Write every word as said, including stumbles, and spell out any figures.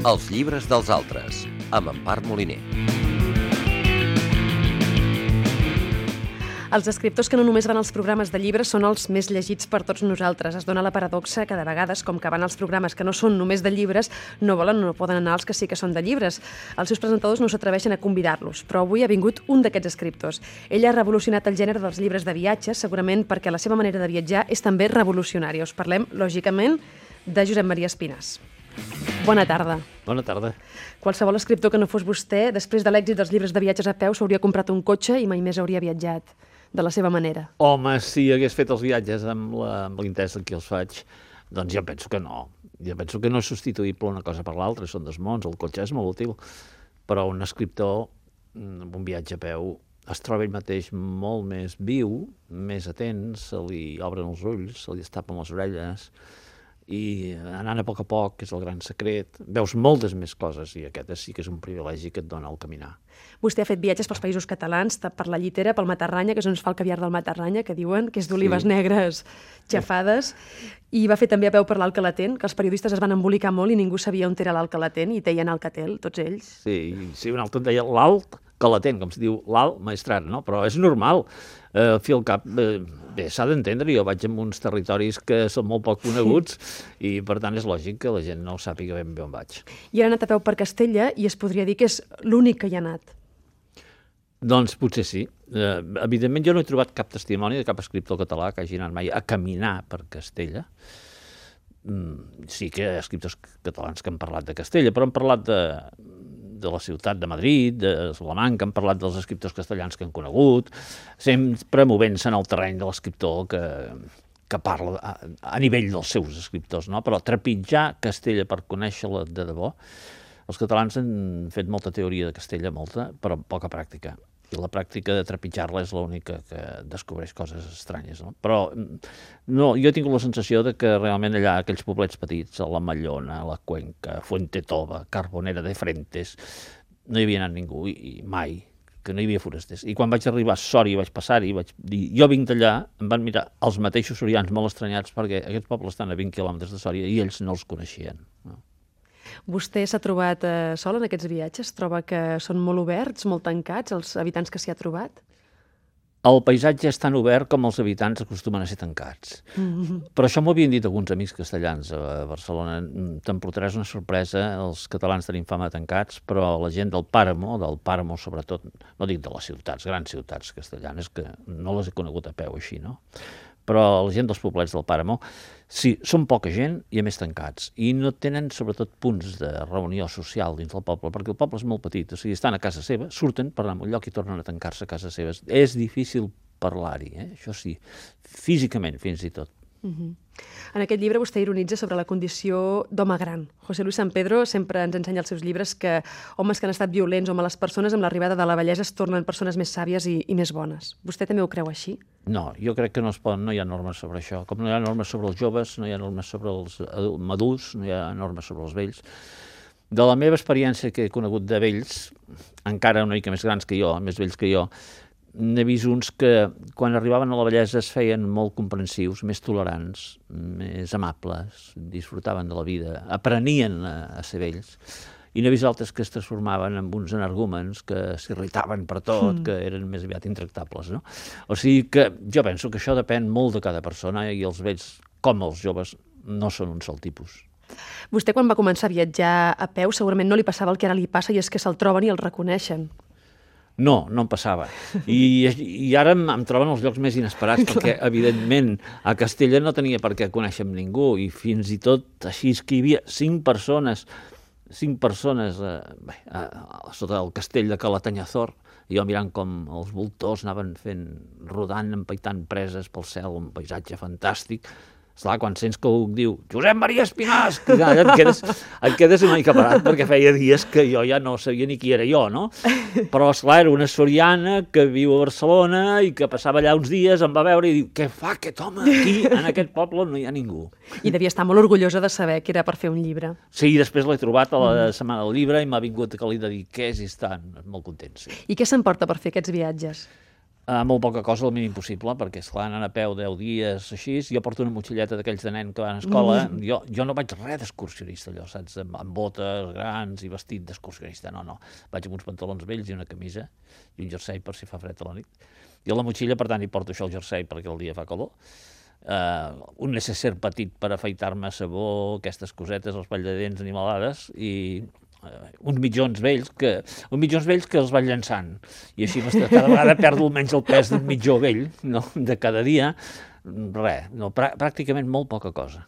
Els llibres dels altres, amb Empar Moliner. Els escriptors que no només van als programes de llibres són els més llegits per tots nosaltres. Es dona la paradoxa que de vegades, com que van als programes que no són només de llibres, no volen o no poden anar als que sí que són de llibres. Els seus presentadors no s'atreveixen a convidar-los, però avui ha vingut un d'aquests escriptors. Ell ha revolucionat el gènere dels llibres de viatges, segurament perquè la seva manera de viatjar és també revolucionària. Us parlem, lògicament, de Josep Maria Espinàs. Bona tarda. Bona tarda. Qualsevol escriptor que no fos vostè, després de l'èxit dels llibres de viatges a peu, s'hauria comprat un cotxe i mai més hauria viatjat de la seva manera. Home, si hagués fet els viatges amb l'interès en què els faig, doncs jo penso que no. Jo penso que no és substituïble una cosa per l'altra, són dos mons, el cotxe és molt útil, però un escriptor amb un viatge a peu es troba ell mateix molt més viu, més atent, se li obren els ulls, se li estapen les orelles, i anant a poc a poc, que és el gran secret, veus moltes més coses, i aquest sí que és un privilegi que et dona el caminar. Vostè ha fet viatges pels països catalans, per la Llitera, pel Matarranya, que és on es fa el caviar del Matarranya, que diuen que és d'olives sí. negres xafades, i va fer també a peu per l'Alt Calatent, que els periodistes es van embolicar molt i ningú sabia on era l'Alt Calatent, i deien Alcatel, tots ells. Sí, sí, un altre deia l'Alt Calatent, com es diu l'Alt Maestrat, no? Però és normal. Eh, fi al cap, eh, bé, s'ha d'entendre, jo vaig en uns territoris que són molt poc coneguts i per tant és lògic que la gent no sàpiga ben bé on vaig. I ha anat a peu per Castella i es podria dir que és l'únic que hi ha anat. Doncs potser sí. Eh, evidentment jo no he trobat cap testimoni de cap escriptor català que hagi anat mai a caminar per Castella. Mm, sí que hi ha escriptors catalans que han parlat de Castella, però han parlat de... de la ciutat de Madrid, de Salamanca, han parlat dels escriptors castellans que han conegut, sempre movent-se en el terreny de l'escriptor que, que parla a, a nivell dels seus escriptors, no? Però trepitjar Castella per conèixer-la de debò, els catalans han fet molta teoria de Castella, molta, però poca pràctica. I la pràctica de trepitjar-la és l'única que descobreix coses estranyes, no? Però no, jo he tingut la sensació de que realment allà, aquells poblets petits, a la Mallona, a la Cuenca, Fuentetova, Carbonera de Frentes, no hi havia anat ningú, i, i mai, que no hi havia forasters. I quan vaig arribar a Sòria, vaig passar-hi, vaig dir, jo vinc d'allà, em van mirar els mateixos sorians molt estranyats perquè aquests pobles estan a vint quilòmetres de Sòria i ells no els coneixien, no? Vostè s'ha trobat eh, sol en aquests viatges? Troba que són molt oberts, molt tancats, els habitants que s'hi ha trobat? El paisatge és tan obert com els habitants acostumen a ser tancats. Mm-hmm. Però això m'ho havien dit alguns amics castellans a Barcelona. Te'n portaràs una sorpresa, els catalans tenim fama de tancats, però la gent del Pàramo, del Pàramo sobretot, no dic de les ciutats, grans ciutats castellanes, que no les he conegut a peu així, no? Però la gent dels poblets del Pàramo, sí, són poca gent i a més tancats. I no tenen, sobretot, punts de reunió social dins del poble, perquè el poble és molt petit. O sigui, estan a casa seva, surten per anar a un lloc i tornen a tancar-se a casa seva. És difícil parlar-hi, eh? Això sí, físicament fins i tot. Uh-huh. En aquest llibre vostè ironitza sobre la condició d'home gran. José Luis San Pedro sempre ens ensenya als seus llibres que homes que han estat violents o males persones amb l'arribada de la vellesa es tornen persones més sàvies i, i més bones. Vostè també ho creu així? No, jo crec que no es pot, no hi ha normes sobre això. Com no hi ha normes sobre els joves, no hi ha normes sobre els madurs, no hi ha normes sobre els vells. De la meva experiència que he conegut de vells, encara una mica més grans que jo, més vells que jo, n'he vist uns que quan arribaven a la vellesa es feien molt comprensius, més tolerants, més amables, disfrutaven de la vida, aprenien a, a ser vells. I n'he vist altres que es transformaven en uns energúmens que s'irritaven per tot, mm. que eren més aviat intractables, no? O sigui que jo penso que això depèn molt de cada persona i els vells, com els joves, no són un sol tipus. Vostè quan va començar a viatjar a peu segurament no li passava el que ara li passa i és que se'l troben i el reconeixen. No, no em passava. I, i ara em, em troben els llocs més inesperats perquè, evidentment, a Castella no tenia per què conèixer amb ningú i fins i tot així és que hi havia cinc persones cinc persones eh, bé, a, a, sota el castell de Calatanyazor, i jo mirant com els voltors anaven fent, rodant, empaitant preses pel cel, un paisatge fantàstic. Esclar, quan sents que algú diu Josep Maria Espinàs, ja et quedes, et quedes una mica parat, perquè feia dies que jo ja no sabia ni qui era jo, no? Però, esclar, era una soriana que viu a Barcelona i que passava allà uns dies, em va veure i diu, què fa aquest home aquí, en aquest poble no hi ha ningú. I devia estar molt orgullosa de saber que era per fer un llibre. Sí, després l'he trobat a la setmana del llibre i m'ha vingut que li dediqués i està molt content, sí. I què s'emporta per fer aquests viatges? Uh, molt poca cosa, el mínim possible, perquè, esclar, anant a peu deu dies, així, jo porto una motxilleta d'aquells de nen que van a escola, mm. jo, jo no vaig res d'excursionista, allò, saps, amb, amb botes grans i vestit d'excursionista, no, no, vaig amb uns pantalons vells i una camisa, i un jersei per si fa fred a la nit. I a la motxilla, per tant, hi porto això, el jersei, perquè el dia fa calor, uh, un necesser petit per afaitar-me, sabó, aquestes cosetes, els pall de dents animalades, i uns mitjons vells que uns mitjons vells que els vaig llançant i així cada vegada perdo almenys el pes d'un mitjó vell, no? De cada dia, res, no, pràcticament molt poca cosa.